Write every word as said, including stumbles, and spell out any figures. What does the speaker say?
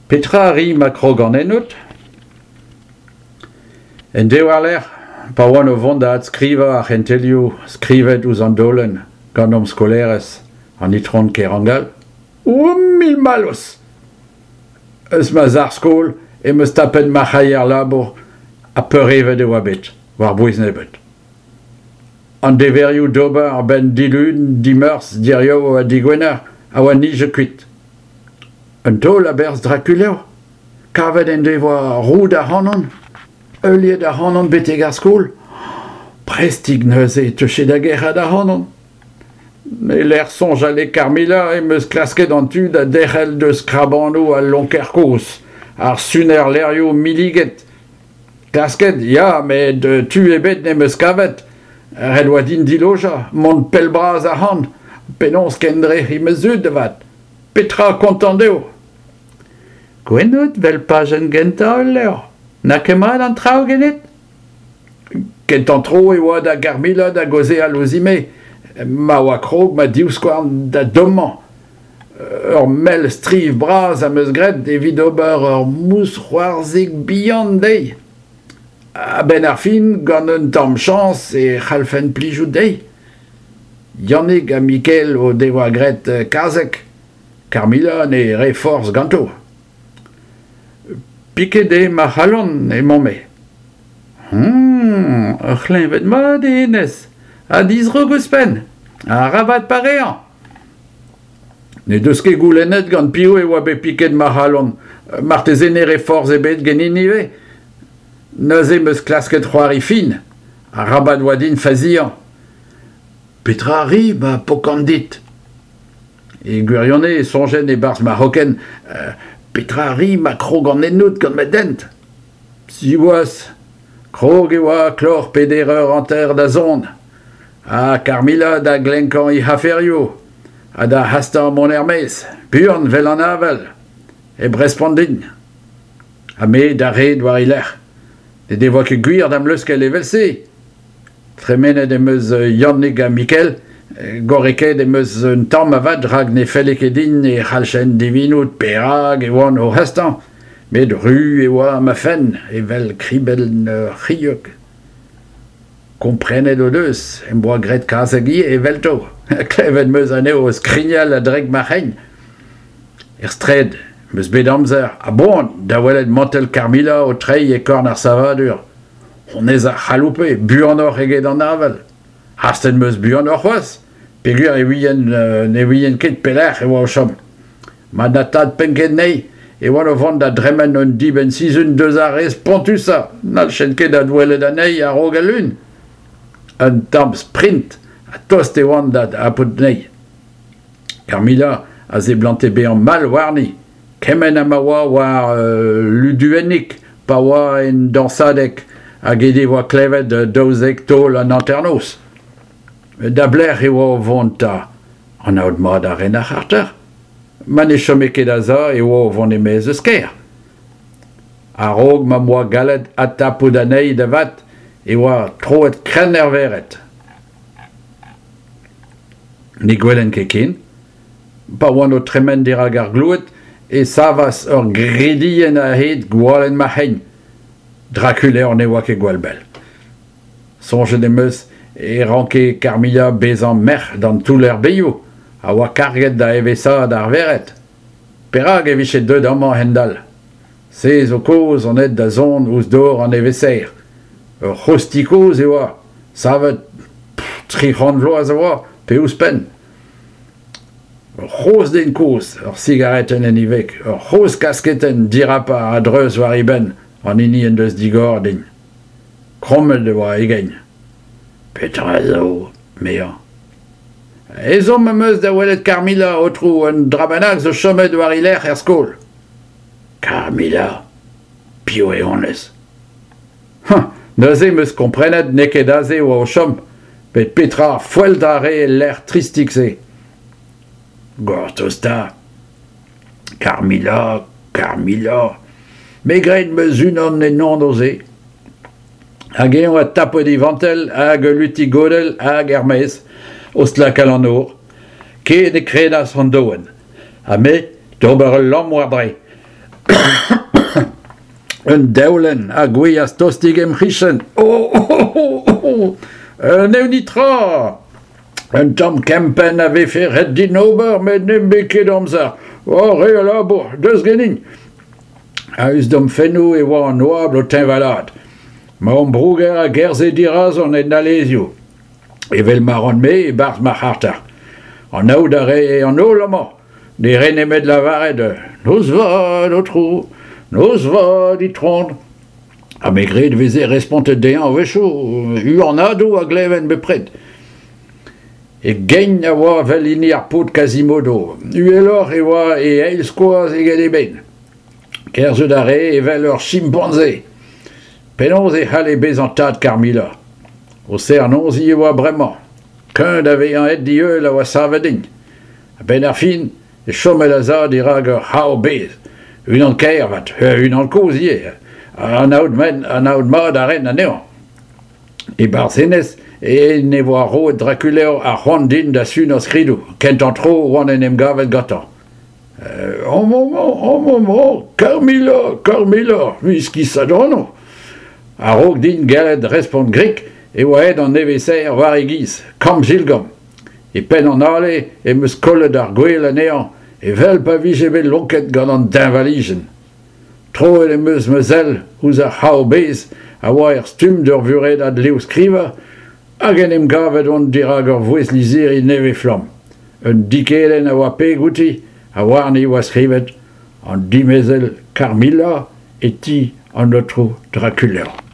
Petra a ri ma krogan ennout ? En deiz war-lerc'h, pa oan o vont da adskrivañ ar c'hentelioù skrivet ouzh an daolenn gant hom skolaerez, an itron Kerangal, o mil mallozh ! Eus ma sac'h-skol em eus tapet ma c'haier labour ha peurevet e oa bet, war-bouez nebeut. An deverioù d'ober a-benn dilun, dimeurzh, diriaou ha digwener a oa nijet kuit. Un taol a-berzh Drakulev ? Kavet en devoa roud ac'hanon ? Heuliet ac'hanon betek ar skol ? Prestik neuze e teuje da gerc'hat ac'hanon. E-lec'h soñjal e Carmilla em eus klasket an tu da derc'hel deus krabanoù al lonker kozh, ar suner levrioù milliget. Klasket, ya, met tu ebet n'em eus kavet. Ret oa din dilojañ, mont pell-bras ac'hann. Penaos kendrec'hiñ ma zud avat ? Petra kontañ dezho ? Gwenn out 'vel pajenn gentañ ul levr. N'a ket mat an traoù ganit ? Kentañ tro e oa da Garmilla da gaozeal ouzhin-me, ma oa krog ma divskouarn da dommañ. Ur mell striv bras am eus graet evit ober ur mousc'hoarzhig bihan dezhi. A-benn ar fin, gant un tamm chañs e c'hallfen plijout dezhi. Yannig ha Mikael o devoa graet kazeg. Carmilla ne rae forzh ganto. Piket eo ma c'halon, emañ-me. Hum, ur c'hleñved mat eo hennezh, ha dizrouk ouzhpenn. Arabat pareañ. N'he deus ket goulennet gant piv e oa bet piket ma c'halon. Marteze ne rae forzh ebet ganin ivez. Neuze em eus klasket c'hoari fin. Arabat oa din faziañ. Petra a ri ma pokan dit ? E gwirionez e soñjen e-barzh ma c'hokenn petra a ri ma krogan ennout gant ma dent ? Siwazh, krog e oa kloc'h peder eur hanter da zont, ha Carmilla da glenkañ he aferioù, ha da hastañ mont er-maez, buan 'vel an avel, hep respont din. Ha me d'ar red war he lerc'h. N'he devoa ket gwir da'm leuskel evel-se. Tremenet em eus Yannig ha Mikael, gorrekaet em eus un tamm avat rak ne felle ket din e c'halljen divinout perak e oan o hastañ, met ru e oa ma fenn evel kribell ur c'hilhog. Komprenet o deus em boa graet kazeg ivez evelto. Klevet em eus anezho o skrignal a-drek ma c'hein. Er straed em eus bet amzer a-boan da welet mantell Carmilla o treiñ e korn ar savadur. Honnezh a c'haloupe buanoc'h eget an avel. Hastet em eus buanoc'h c'hoazh, peogwir e ouien ne ouien ket pelec'h e oa o chom. Ma na tapent ket anezhi e oan o vont da dremen un dibenn-sizhun deus ar re spontusañ, n'halljen ket adwelet anezhi a-raok al lun. Un tamm sprint ha tost e oan da dapout anezhi. Carmilla a seblante bezañ mall warni, kement ha ma oa war Luduennig pa oa en dañsadeg hag he devoa klevet daouzek taol an hanternoz. Da belec'h e oa o vont 'ta ? Anaout mat a ren ar c'harter ? Ma ne chome ket a-sav e oa o vont e-maez eus kêr. A-raok ma 'm boa gallet adtapout anezhi da vat e oa troet krenn er vered. Ne gwelen ket ken. Pa oan o tremen dirak ar gloued e savas ur gridienn a-hed gwalenn ma c'hein. Drakulev ne oa ket gwall bell. Soñjet em eus e ranke Carmilla bezañ merc'h d'an touller-bezioù a oa karget da eveshaat ar vered. Perak e vije deuet amañ a-hend-all ? Se zo kaoz on aet da son ouzh dor an evezher. Ur c'hozh ti kozh e oa, savet tri c'hant vloaz a oa, pe ouzhpenn. Ur c'hozh den kozh, ur sigaretenn en e veg, ur c'hozh kasketenn dirapar a-dreuz war e benn, an hini en deus digoret din. Krommet e oa e gein. Petra zo, 'mezañ. Ezhomm am eus da welet Carmilla, aotrou, un dra bennak zo chomet war he lerc'h er skol. Carmilla ? Piv eo honnezh ? Hañ, neuze em eus komprenet n'eo ket aze e oa o chom, met petra foeltrañ a rae el lec'h tristik-se ? Gortoz 'ta. Carmilla, Carmilla, me 'gred 'm eus unan en anv-se. Hag eñ a tapout e vantell hag ul luti-godell hag er-maez, o stlakal an nor. Ken e krenas an doenn. Ha me d'ober ul lamm war-dre. Un daolenn a gouezhas tostik em c'hichen. Oh, oh, oh, oh, oh. N'eo netra. Un tamm kempenn a vefe ret din ober, met ne'm be ket amzer. Oh, re a labour, deus ganin. A-us d'am fennoù e oa an oabl o teñvalaat. Ma ambrouger a gerzhe dirazon en alezioù. Evel ma ran-me e-barzh ma c'harter. Anaout a rae an holl amañ. Ne rae nemet lavaret Noz vat, aotrou, noz vat, itron. Ha me 'gred e veze respontet dezhañ a-wechoù, huanadoù a gleven bepred. E gein a oa evel hini ar paotr Quasimodo. Uheloc'h e oa e eil skoaz eget eben. Kerzhet a rae evel ur chimpanze. Penaos e c'halle bezañ tad Carmilla? O serr-noziñ e oa bremañ. Kuñv da vezañ aet d'e heul a oa savet din. A-benn ar fin e chomel a-sav dirak ur c'hav-bez. Unan kaer avat, unan kozh ivez. Anaout anaout mat a ran anezhañ. E-barzh hennezh en devoa roet Drakuleo ar c'hoant din da sunañ skridoù. Kentañ tro oan en em gavet gantañ. Amañ, amañ, amañ, Carmilla, Carmilla, iskisat anv. A-raok din gellet respont grik e oa aet an nevesaer war e giz, kamm-jilgamm. E penn an ale em eus kollet ar gwel anezhañ evel pa vije bet lonket gant an deñvalijenn. Troet em eus ma sell ouzh ar c'hav-bez a oa er stumm d'ur vuredad levrskrivañ hag en em gavet on dirak ur voest-lizhiri nevez-flamm. Un dikedenn a oa peg outi ha warni e oa skrivet An dimezell Carmilla e ti an aotrou Drakuleo.